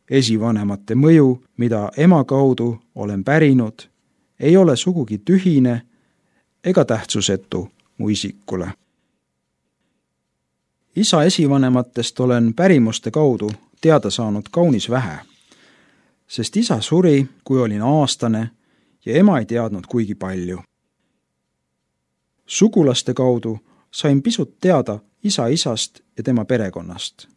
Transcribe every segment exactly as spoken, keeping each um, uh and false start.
Esivanemate mõju, mida ema kaudu olen pärinud, ei ole sugugi tühine ega tähtsusetu mu isikule. Isa esivanematest olen pärimuste kaudu teada saanud kaunis vähe, sest isa suri, kui olin aastane ja ema ei teadnud kuigi palju. Sugulaste kaudu sain pisut teada isa isast ja tema perekonnast.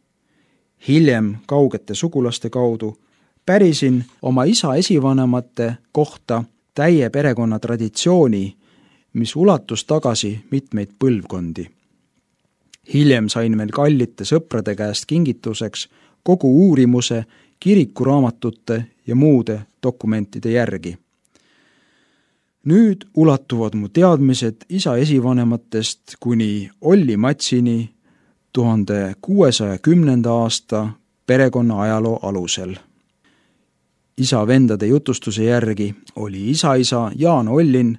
Hiljem kaugete sugulaste kaudu pärisin oma isa esivanemate kohta täie perekonna traditsiooni, mis ulatus tagasi mitmeid põlvkondi. Hiljem sain veel kallite sõprade käest kingituseks kogu uurimuse kirikuraamatute ja muude dokumentide järgi. Nüüd ulatuvad mu teadmised isa esivanematest kuni Olli Matsini tuhande kuuesaja kümnenda aasta perekonna ajaloo alusel. Isa vendade jutustuse järgi oli isa-isa Jaan Ollin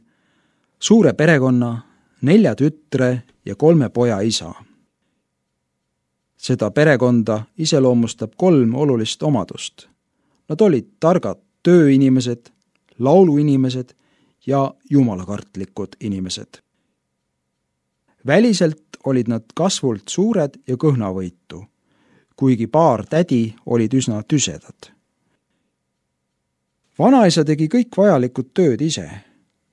suure perekonna, nelja tütre ja kolme poja isa. Seda perekonda iseloomustab kolm olulist omadust. Nad olid targad tööinimesed, lauluinimesed ja jumalakartlikud inimesed. Väliselt olid nad kasvult suured ja kõhnavõitu, kuigi paar tädi olid üsna tüsedad. Vanaisa tegi kõik vajalikud tööd ise.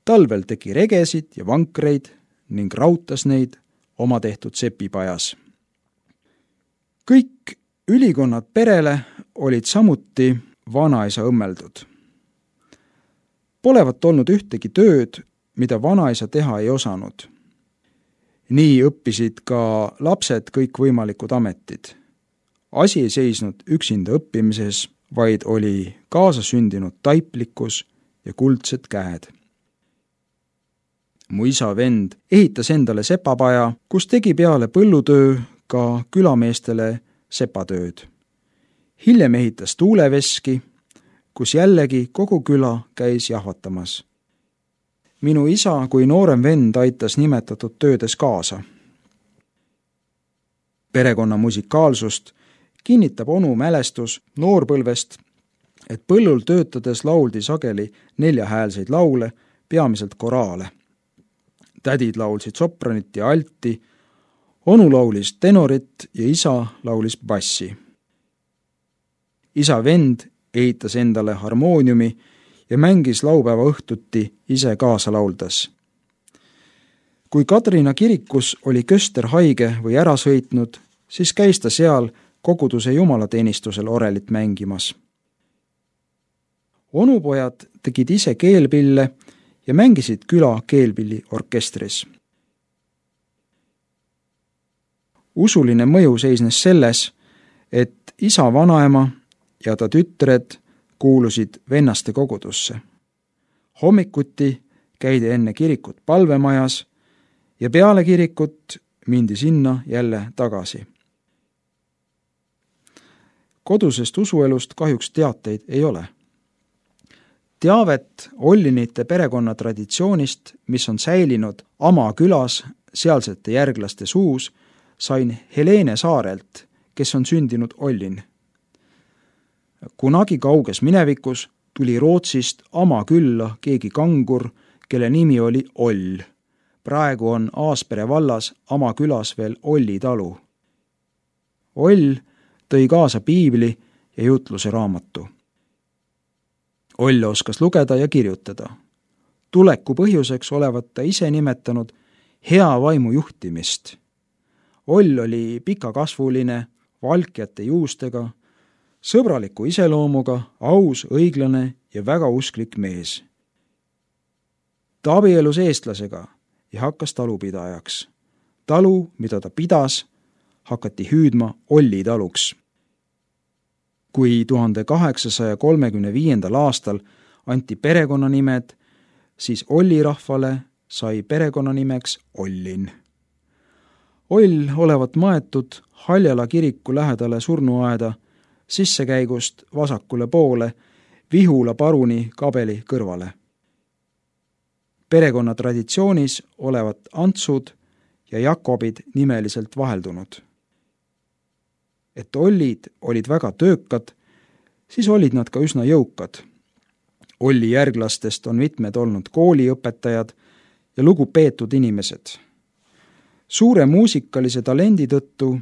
Talvel tegi regesid ja vankreid ning rautas neid oma tehtud sepipajas. Kõik ülikonnad perele olid samuti vanaisa õmmeldud. Polevat olnud ühtegi tööd, mida vanaisa teha ei osanud. Nii õppisid ka lapsed kõikvõimalikud ametid. Asi ei seisnud üksinda õppimises, vaid oli kaasasündinud taiplikkus ja kuldsed käed. Mu isa vend ehitas endale sepapaja, kus tegi peale põllutöö ka külameestele sepatööd. Hiljem ehitas tuuleveski, kus jällegi kogu küla käis jahvatamas. Minu isa kui noorem vend aitas nimetatud töödes kaasa. Perekonna musikaalsust kinnitab onu mälestus noorpõlvest, et põllul töötades lauldi sageli neljahäälseid laule, peamiselt koraale. Tädid laulsid sopranit ja alti, onu laulis tenorit ja isa laulis bassi. Isa vend ehitas endale harmooniumi ja mängis laupäeva õhtuti ise kaasa lauldas. Kui Kadrina kirikus oli köster haige või ära sõitnud, siis käis ta seal koguduse jumalateenistusel orelit mängimas. Onupojad tegid ise keelpille ja mängisid küla keelpilliorkestris. Usuline mõju seisnes selles, et isa vanaema ja ta tütred kuulusid vennaste kogudusse. Hommikuti käidi enne kirikut palvemajas ja peale kirikut mindi sinna jälle tagasi. Kodusest usuelust kahjuks teateid ei ole. Teavet Ollinite perekonna traditsioonist, mis on säilinud Ama külas sealsete järglaste suus, sain Helene Saarelt, kes on sündinud Ollin. Kunagi kauges minevikus tuli Rootsist Ama külla keegi kangur, kelle nimi oli Oll. Praegu on Aaspere vallas Ama külas veel Olli talu. Oll tõi kaasa piibli ja jutluse raamatu. Oll oskas lugeda ja kirjutada. Tuleku põhjuseks olevat ta ise nimetanud hea vaimu juhtimist. Oll oli pikakasvuline, valkjate juustega, sõbraliku iseloomuga, aus, õiglane ja väga usklik mees. Ta abielus eestlasega ja hakkas talupidajaks. Talu, mida ta pidas, hakati hüüdma Olli taluks. Kui tuhande kaheksasaja kolmekümne viiendal aastal anti perekonnanimed, siis Olli rahvale sai perekonnanimeks Ollin. Oll olevat maetud Haljala kiriku lähedale surnuaeda sissekäigust vasakule poole Vihula paruni kabeli kõrvale. Perekonna traditsioonis olevat Antsud ja Jakobid nimeliselt vaheldunud. Et Ollid olid väga töökad, siis olid nad ka üsna jõukad. Olli järglastest on mitmed olnud kooliõpetajad ja lugupeetud inimesed. Suure muusikalise talendi tõttu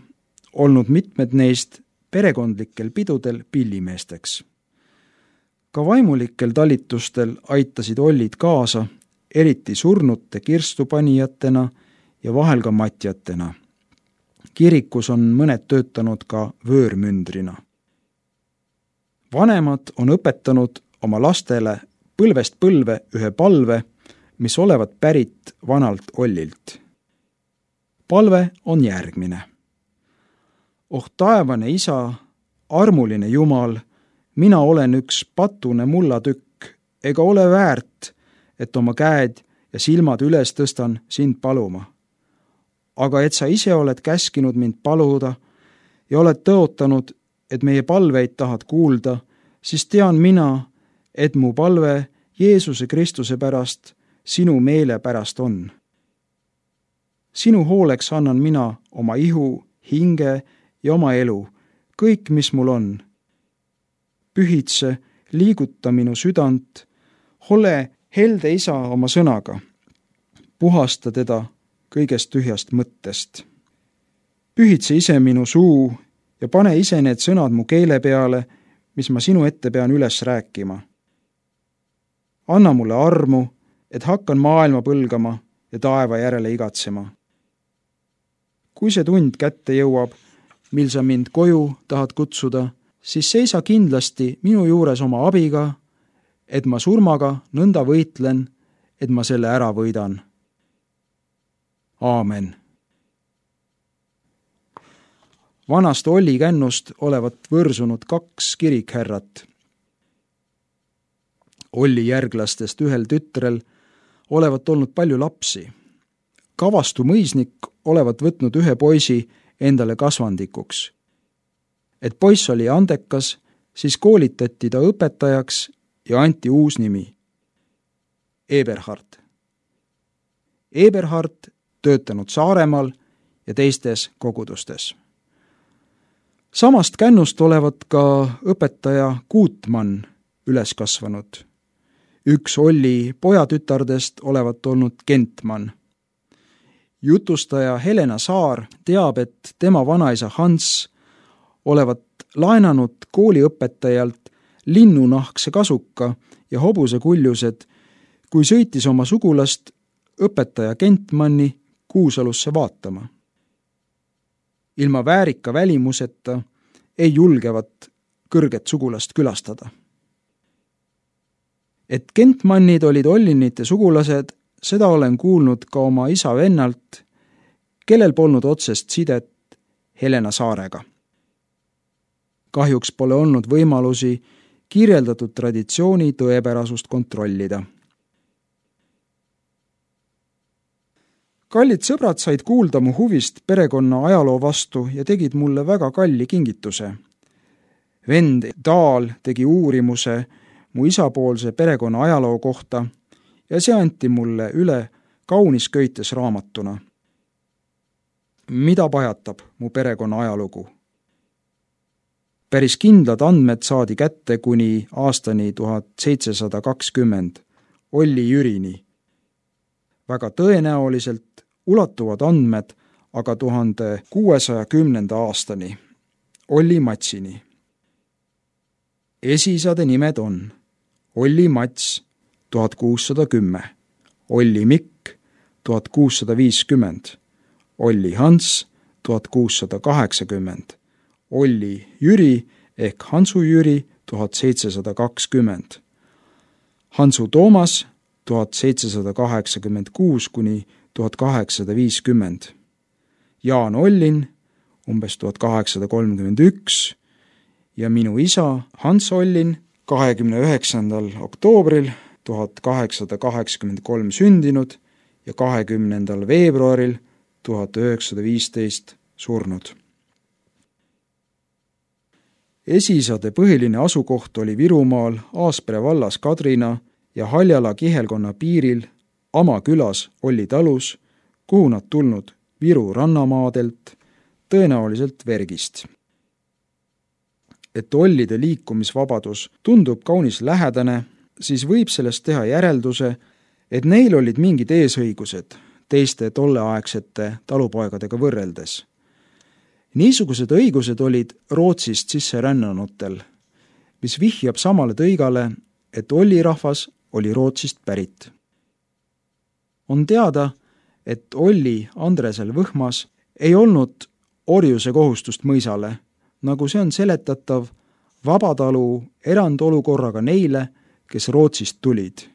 olnud mitmed neist perekondlikel pidudel pillimeesteks. Ka vaimulikel talitustel aitasid ollid kaasa, eriti surnute kirstupanijatena ja vahel ka matjatena. Kirikus on mõned töötanud ka vöörmündrina. Vanemad on õpetanud oma lastele põlvest põlve ühe palve, mis olevat pärit vanalt Ollilt. Palve on järgmine. Oh taevane isa, armuline Jumal, mina olen üks patune mullatükk, ega ole väärt, et oma käed ja silmad üles tõstan sind paluma. Aga et sa ise oled käskinud mind paluda ja oled tõotanud, et meie palveid tahad kuulda, siis tean mina, et mu palve Jeesuse Kristuse pärast sinu meele pärast on. Sinu hooleks annan mina oma ihu, hinge ja oma elu, kõik, mis mul on. Pühitse, liiguta minu südant, ole helde isa oma sõnaga, puhasta teda kõigest tühjast mõttest. Pühitse ise minu suu ja pane ise need sõnad mu keele peale, mis ma sinu ette pean üles rääkima. Anna mulle armu, et hakkan maailma põlgama ja taeva järele igatsema. Kui see tund kätte jõuab, mil sa mind koju tahad kutsuda, siis seisa kindlasti minu juures oma abiga, et ma surmaga nõnda võitlen, et ma selle ära võidan. Aamen. Vanast Olli kännust olevat võrsunud kaks kirikhärrat. Olli järglastest ühel tütrel olevat olnud palju lapsi. Kavastu mõisnik olevat võtnud ühe poisi endale kasvandikuks. Et poiss oli andekas, siis koolitati ta õpetajaks ja anti uus nimi. Eberhard. Eberhard töötanud Saaremaal ja teistes kogudustes. Samast kännust olevat ka õpetaja Guutmann üles kasvanud. Üks Olli pojatütardest olevat olnud Gentmann. Jutustaja Helena Saar teab, et tema vanaisa Hans olevat laenanud kooliõpetajalt linnunahkse kasuka ja hobuse kuljused, kui sõitis oma sugulast õpetaja Gentmanni Kuusalusse vaatama. Ilma väärika välimuseta ei julgevat kõrget sugulast külastada. Et Gentmannid olid Ollinite sugulased, seda olen kuulnud ka oma isa vennalt, kellel polnud otsest sidet Helena Saarega. Kahjuks pole olnud võimalusi kirjeldatud traditsiooni tõepärasust kontrollida. Kallid sõbrad said kuulda mu huvist perekonna ajaloo vastu ja tegid mulle väga kalli kingituse. Vend Daal tegi uurimuse mu isapoolse perekonna ajaloo kohta ja see anti mulle üle kaunis köites raamatuna. Mida pajatab mu perekonna ajalugu? Päris kindlad andmed saadi kätte kuni aastani tuhat seitsesada kakskümmend, Olli Jürini. Väga tõenäoliselt ulatuvad andmed aga tuhande kuuesaja kümnenda aastani, Olli Matsini. Esisade nimed on Olli Mats tuhat kuussada kümme, Olli Mikk tuhat kuussada viiskümmend, Olli Hans tuhat kuussada kaheksakümmend, Olli Jüri ehk Hansu Jüri tuhat seitsesada kakskümmend, Hansu Toomas tuhat seitsesada kaheksakümmend kuus kuni tuhat kaheksasada viiskümmend, Jaan Ollin umbes tuhat kaheksasada kolmkümmend üks ja minu isa Hans Ollin kahekümne üheksandal oktoobril tuhat kaheksasada kaheksakümmend kolm sündinud ja kahekümnendal veebruaril tuhat üheksasada viisteist surnud. Esisade põhiline asukoht oli Virumaal Aaspere vallas Kadrina ja Haljala kihelkonna piiril Ama külas Olli talus, kuhu nad tulnud Viru rannamaadelt, tõenäoliselt Vergist. et ollide liikumisvabadus tundub kaunis lähedane, siis võib sellest teha järelduse, et neil olid mingid eesõigused teiste tolleaegsete talupoegadega võrreldes. Niisugused õigused olid Rootsist sisse rännanutel, mis vihjab samale tõigale, et ollirahvas oli Rootsist pärit. On teada, et Olli Andresel Võhmas ei olnud orjuse kohustust mõisale, nagu see on seletatav vabatalu erandolukorraga neile, kes Rootsist tulid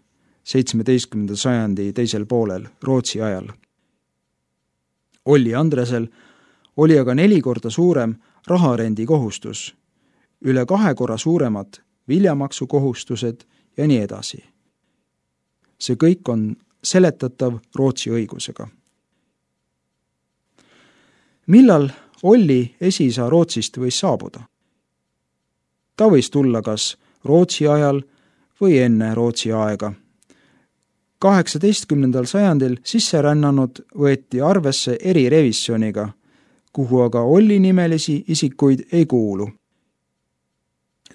seitsmeteistkümnenda sajandi teisel poolel Rootsi ajal. Olli Andresel oli aga neli korda suurem raharendi kohustus, üle kahe korra suuremad viljamaksu kohustused ja nii edasi. See kõik on seletatav Rootsi õigusega. Millal Olli esiisa Rootsist võis saabuda? Ta võis tulla kas Rootsi ajal või enne Rootsi aega. kaheksateistkümnendal sajandil sisserännanud võeti arvesse erirevisjoniga, kuhu aga Olli nimelisi isikuid ei kuulu.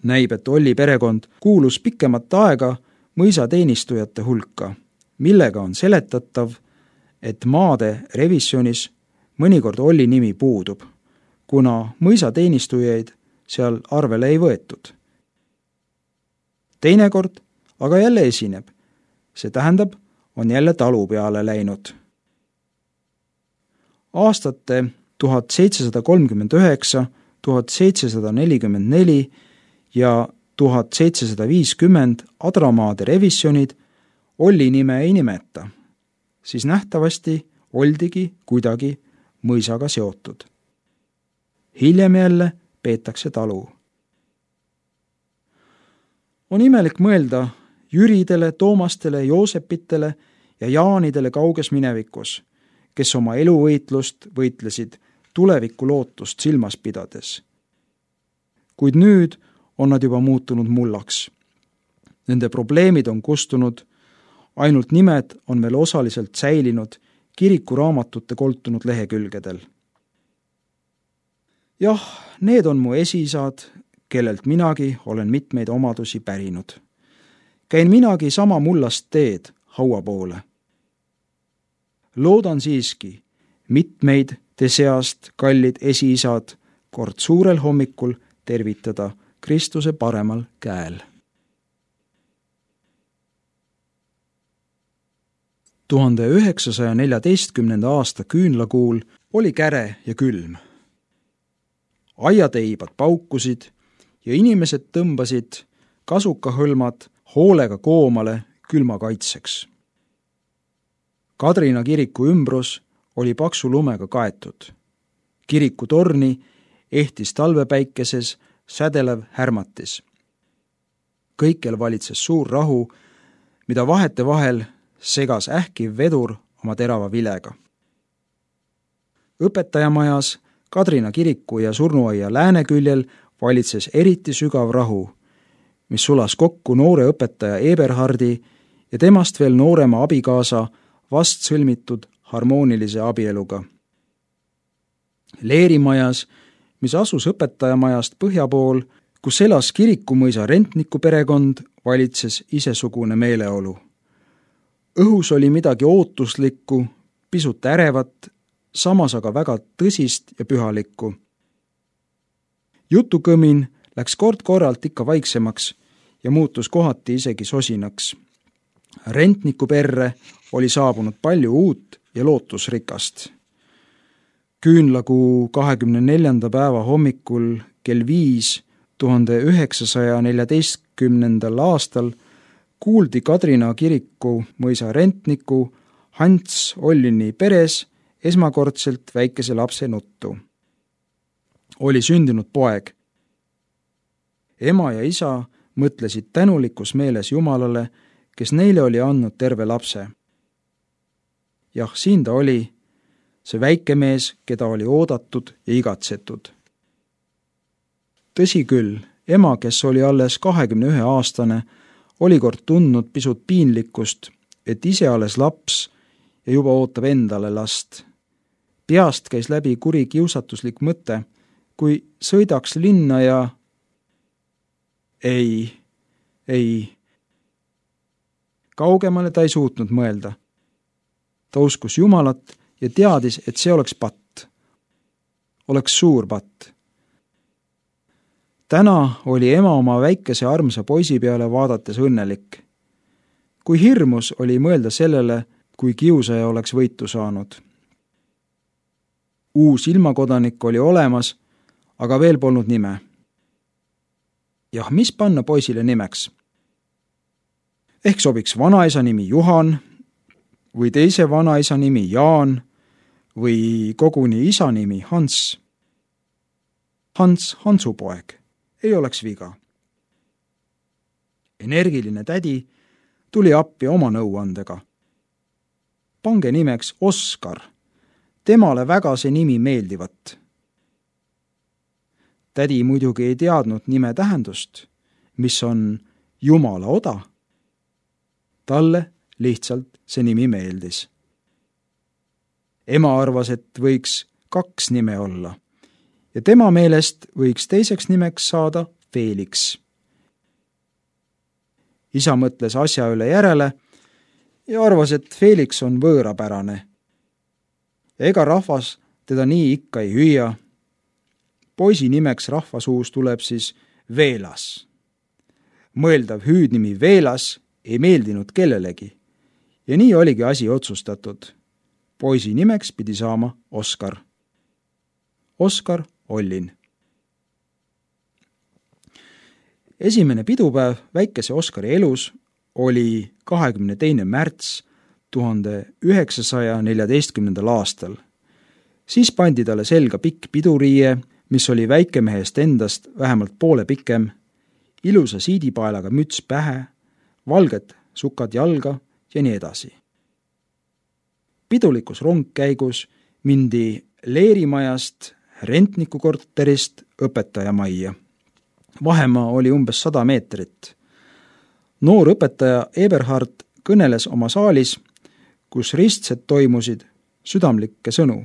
Näib, et Olli perekond kuulus pikemat aega mõisateenistujate hulka, millega on seletatav, et maade revisjonis mõnikord Olli nimi puudub, kuna mõisateenistujaid seal arvele ei võetud. Teinekord aga jälle esineb, see tähendab, on jälle talu peale läinud. Aastate tuhat seitsesada kolmkümmend üheksa, tuhat seitsesada nelikümmend neli ja tuhat seitsesada viiskümmend adramaade revisjonid Olli nime ei nimeta, siis nähtavasti oldigi kuidagi mõisaga seotud. Hiljem jälle peetakse talu. On imelik mõelda Jüridele, Toomastele, Joosepitele ja Jaanidele kauges minevikus, kes oma eluvõitlust võitlesid tuleviku lootust silmas pidades. Kuid nüüd on nad juba muutunud mullaks. Nende probleemid on kustunud, ainult nimed on veel osaliselt säilinud kirikuraamatute koltunud lehekülgedel. Jah, need on mu esiisad, kellelt minagi olen mitmeid omadusi pärinud. Käin minagi sama mullast teed haua poole. Loodan siiski mitmeid te seast kallid esiisad kord suurel hommikul tervitada Kristuse paremal käel. tuhande üheksasaja neljateistkümnenda aasta küünlakuul oli käre ja külm. Aiateibad paukusid ja inimesed tõmbasid kasukahõlmad hoolega koomale külma kaitseks. Kadrina kiriku ümbrus oli paksu lumega kaetud. Kiriku torni ehtis talvepäikeses sädelev härmatis. Kõikjal valitses suur rahu, mida vahete vahel segas ähkiv vedur oma terava vilega. Õpetajamajas Kadrina kiriku ja surnuaia lääneküljel valitses eriti sügav rahu, mis sulas kokku noore õpetaja Eberhardi ja temast veel noorema abikaasa vast sõlmitud harmoonilise abieluga. Leerimajas, mis asus õpetajamajast põhja pool, kus elas kirikumõisa rentniku perekond, valitses isesugune meeleolu. Õhus oli midagi ootuslikku, pisut ärevat, samas aga väga tõsist ja pühalikku. Jutukõmin läks kord-korralt ikka vaiksemaks ja muutus kohati isegi sosinaks. Rentniku perre oli saabunud palju uut ja lootusrikast. Küünlakuu kahekümne neljanda päeva hommikul kell viis tuhande üheksasaja neljateistkümnendal aastal kuuldi Kadrina kiriku mõisa rentniku Hans Ollini peres esmakordselt väikese lapse nuttu. Oli sündinud poeg. Ema ja isa mõtlesid tänulikus meeles Jumalale, kes neile oli andnud terve lapse. Jah, siin ta oli, see väike mees, keda oli oodatud ja igatsetud. Tõsi küll, ema, kes oli alles kahekümne ühe aastane, oli kord tundnud pisut piinlikkust, et ise alles laps ja juba ootab endale last. Peast käis läbi kuri kiusatuslik mõte, kui sõidaks linna ja Ei, ei. Kaugemale ta ei suutnud mõelda. Ta uskus Jumalat ja teadis, et see oleks patt. Oleks suur patt. Täna oli ema oma väikese armsa poisi peale vaadates õnnelik. Kui hirmus oli mõelda sellele, kui kiusaja oleks võitu saanud. Uus ilmakodanik oli olemas, aga veel polnud nime. Jah, mis panna poisile nimeks? Ehk sobiks vanaisa nimi Juhan või teise vanaisa nimi Jaan või koguni isa nimi Hans. Hans Hansupoeg. Ei oleks viga. Energiline tädi tuli appi oma nõuandega. Pange nimeks Oskar. Temale väga see nimi meeldivat. Tädi muidugi ei teadnud nime tähendust, mis on Jumala oda. Talle lihtsalt see nimi meeldis. Ema arvas, et võiks kaks nime olla ja tema meelest võiks teiseks nimeks saada Felix. Isa mõtles asja üle järele ja arvas, et Felix on võõrapärane. Ega rahvas teda nii ikka ei hüüa. Poisi nimeks rahvasuus tuleb siis Veelas. Mõeldav hüüdnimi Veelas ei meeldinud kellelegi ja nii oligi asi otsustatud. Poisi nimeks pidi saama Oskar. Oskar Ollin. Esimene pidupäev väikese Oskari elus oli kahekümne teine märts tuhande üheksasaja neljateistkümnendal aastal. Siis pandi talle selga pikk piduriie, mis oli väikemehest endast vähemalt poole pikem, ilusa siidipaelaga müts pähe, valged sukad jalga ja nii edasi. Pidulikus rongkäigus mindi Leerimajast rentniku korterist õpetajamajja. Vahemaa oli umbes sada meetrit. Noor õpetaja Eberhard kõneles oma saalis, kus ristsed toimusid, südamlikke sõnu.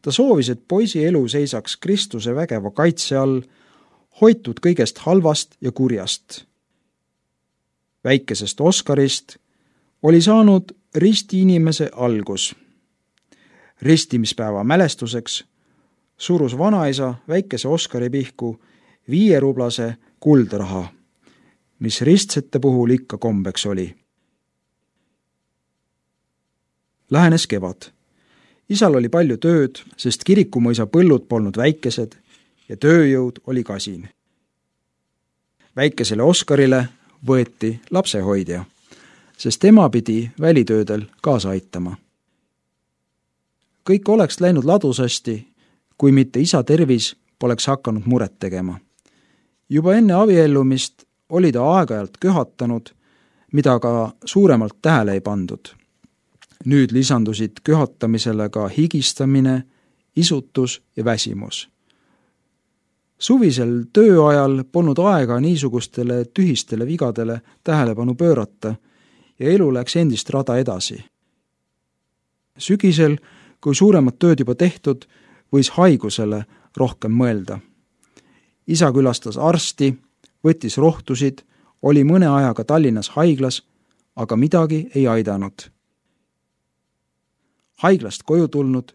Ta soovis, et poisi elu seisaks Kristuse vägeva kaitse all, hoitud kõigest halvast ja kurjast. Väikesest Oskarist oli saanud ristiinimese algus. Ristimispäeva mälestuseks surus vanaisa väikese Oskari pihku viierublase kuldraha, mis ristsete puhul ikka kombeks oli. Lähenes kevad. Isal oli palju tööd, sest Kirikumõisa põllud polnud väikesed ja tööjõud oli kasin. Väikesele Oskarile võeti lapsehoidja, sest tema pidi välitöödel kaasa aitama. Kõik oleks läinud ladusasti, kui mitte isa tervis poleks hakanud muret tegema. Juba enne abiellumist oli ta aeg-ajalt köhatanud, mida ka suuremalt tähele ei pandud. Nüüd lisandusid köhatamisele ka higistamine, isutus ja väsimus. Suvisel tööajal polnud aega niisugustele tühistele vigadele tähelepanu pöörata ja elu läks endist rada edasi. Sügisel, kui suuremad tööd juba tehtud, võis haigusele rohkem mõelda. Isa külastas arsti, võttis rohtusid, oli mõne ajaga Tallinnas haiglas, aga midagi ei aidanud. Haiglast koju tulnud,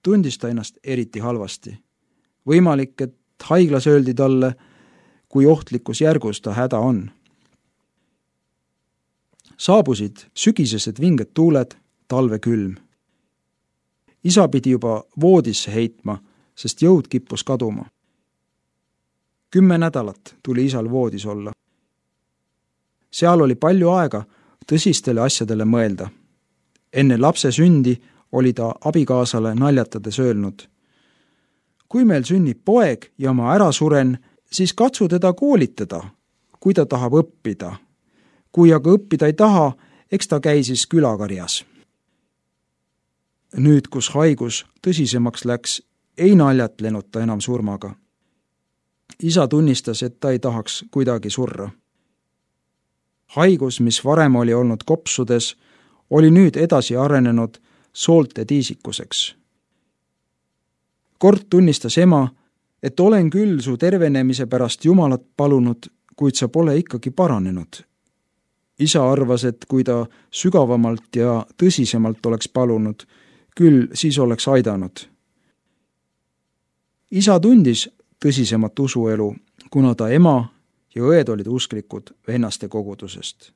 tundis ta ennast eriti halvasti. Võimalik, et haiglas öeldi talle, kui ohtlikus järgus ta häda on. Saabusid sügisesed vinged tuuled, talve külm. Isa pidi juba voodisse heitma, sest jõud kippus kaduma. Kümme nädalat tuli isal voodis olla. Seal oli palju aega tõsistele asjadele mõelda. Enne lapse sündi oli ta abikaasale naljatades öelnud: kui meil sünnib poeg ja ma ära suren, siis katsu teda koolitada, kui ta tahab õppida. Kui aga õppida ei taha, eks ta käi siis külakarjas. Nüüd, kus haigus tõsisemaks läks, ei naljatlenud ta enam surmaga. Isa tunnistas, et ta ei tahaks kuidagi surra. Haigus, mis varem oli olnud kopsudes, oli nüüd edasi arenenud soolte tiisikuseks. Kord tunnistas ema, et olen küll su tervenemise pärast Jumalat palunud, kuid sa pole ikkagi paranenud. Isa arvas, et kui ta sügavamalt ja tõsisemalt oleks palunud, küll siis oleks aidanud. Isa tundis tõsisemat usuelu, kuna ta ema ja õed olid usklikud vennaste kogudusest.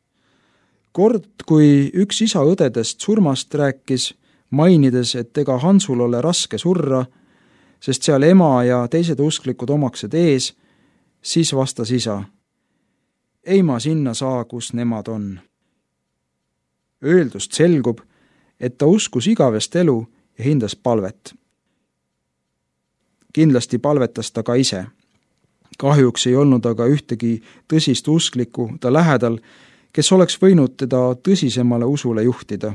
Kord, kui üks isa õdedest surmast rääkis, mainides, et ega Hansul ole raske surra, sest seal ema ja teised usklikud omaksed ees, siis vastas isa: ei ma sinna saa, kus nemad on. Öeldust selgub, et ta uskus igavest elu ja hindas palvet. Kindlasti palvetas ta ka ise. Kahjuks ei olnud aga ühtegi tõsist usklikku ta lähedal, kes oleks võinud teda tõsisemale usule juhtida.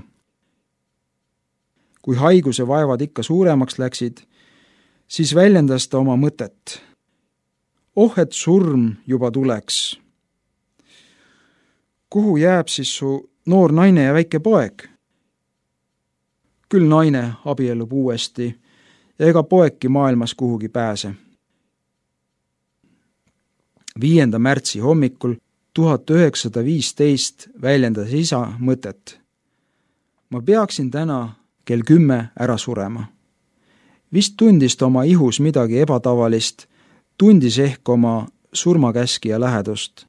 Kui haiguse vaevad ikka suuremaks läksid, siis väljendas ta oma mõtet. Oh, et surm juba tuleks. Kuhu jääb siis su noor naine ja väike poeg? Küll naine abiellub uuesti ja ega poegki maailmas kuhugi pääse. viienda märtsi hommikul tuhat üheksasada viisteist väljendas isa mõtet. Ma peaksin täna kell kümme ära surema. Vist tundis ta oma ihus midagi ebatavalist, tundis ehk oma surmakäskija lähedust.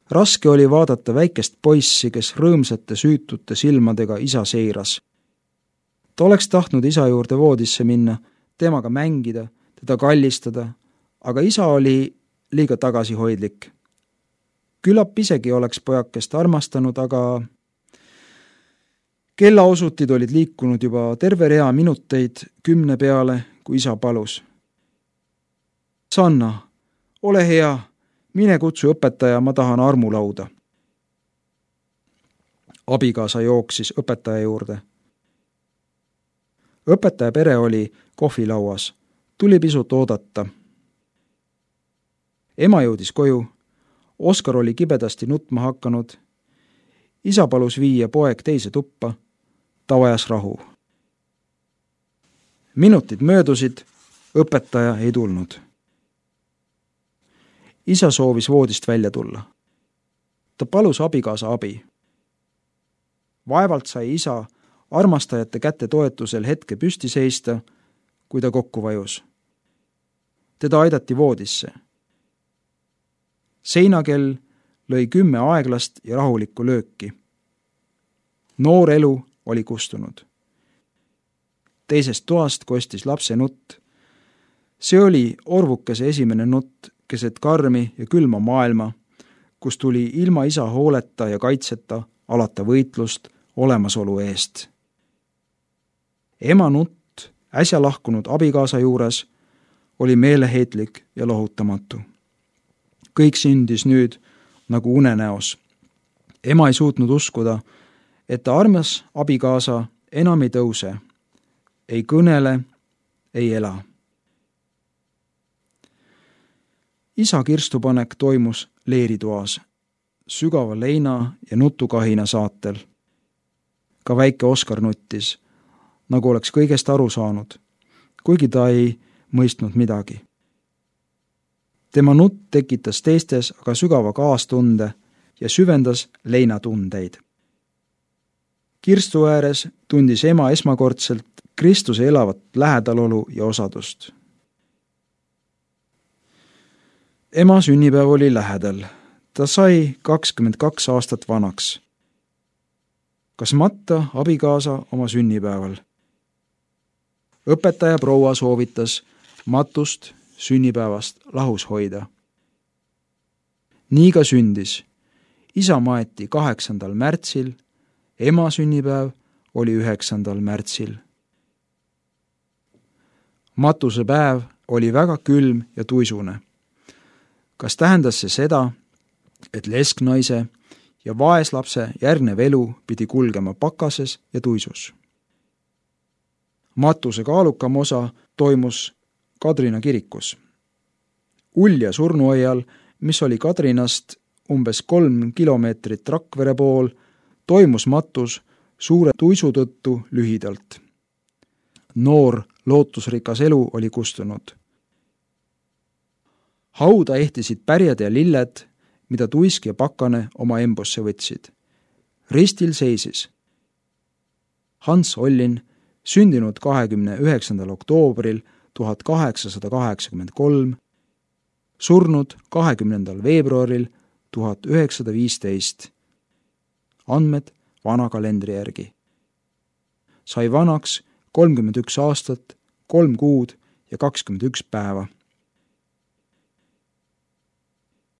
Raske oli vaadata väikest poissi, kes rõõmsate süütute silmadega isa seiras. Ta oleks tahtnud isa juurde voodisse minna, temaga mängida, teda kallistada, aga isa oli liiga tagasihoidlik. Küllap isegi oleks pojakest armastanud, aga kellaosutid olid liikunud juba terve rea minuteid kümne peale, kui isa palus. Sanna, ole hea, mine kutsu õpetaja, ma tahan armulauda. Abikaasa jooksis õpetaja juurde. Õpetaja pere oli kohvilauas, tuli pisut oodata. Ema jõudis koju, Oskar oli kibedasti nutma hakanud. Isa palus viia poeg teise tuppa, ta vajas rahu. Minutid möödusid, õpetaja ei tulnud. Isa soovis voodist välja tulla. Ta palus abikaasa abi. Vaevalt sai isa armastajate kätte toetusel hetke püsti seista, kui ta kokku vajus. Teda aidati voodisse. Seinakell lõi kümme aeglast ja rahulikku lööki. Noor elu oli kustunud. Teisest toast kostis lapse nutt. See oli orvukese esimene nutt keset karmi ja külma maailma, kus tuli ilma isa hooleta ja kaitseta alata võitlust olemasolu eest. Ema nutt äsja lahkunud abikaasa juures oli meeleheitlik ja lohutamatu. Kõik sündis nüüd nagu unenäos. Ema ei suutnud uskuda, et ta armas abikaasa enam ei tõuse, ei kõnele, ei ela. Isa kirstupanek toimus leeritoas, sügava leina ja nutukahina saatel. Ka väike Oskar nuttis, nagu oleks kõigest aru saanud, kuigi ta ei mõistnud midagi. Tema nutt tekitas teistes aga sügava kaastunde ja süvendas leinatundeid. Kirstu ääres tundis ema esmakordselt Kristuse elavat lähedalolu ja osadust. Ema sünnipäev oli lähedal. Ta sai kakskümmend kaks aastat vanaks. Kas matta abikaasa oma sünnipäeval? Õpetaja proua soovitas matust sünnipäevast lahus hoida. Nii ka sündis. Isa maeti kaheksandal märtsil, ema sünnipäev oli üheksandal märtsil. Matuse päev oli väga külm ja tuisune. Kas tähendas see seda, et lesknaise ja vaeslapse järgnev elu pidi kulgema pakases ja tuisus? Matuse kaalukam osa toimus Kadrina kirikus. Ulja surnuaial, mis oli Kadrinast umbes kolm kilomeetrit Rakvere pool, toimus matus suure tuisu tõttu lühidalt. Noor lootusrikas elu oli kustunud. hauda ehtisid pärjad ja lilled, mida Tuisk ja Pakane oma embusse võtsid. Ristil seisis Hans Ollin, sündinud kahekümne üheksandal oktoobril tuhat kaheksasada kaheksakümmend kolm, surnud kahekümnendal veebruaril tuhat üheksasada viisteist. Andmed vana kalendri järgi. Sai vanaks kolmkümmend üks aastat, kolm kuud ja kakskümmend üks päeva.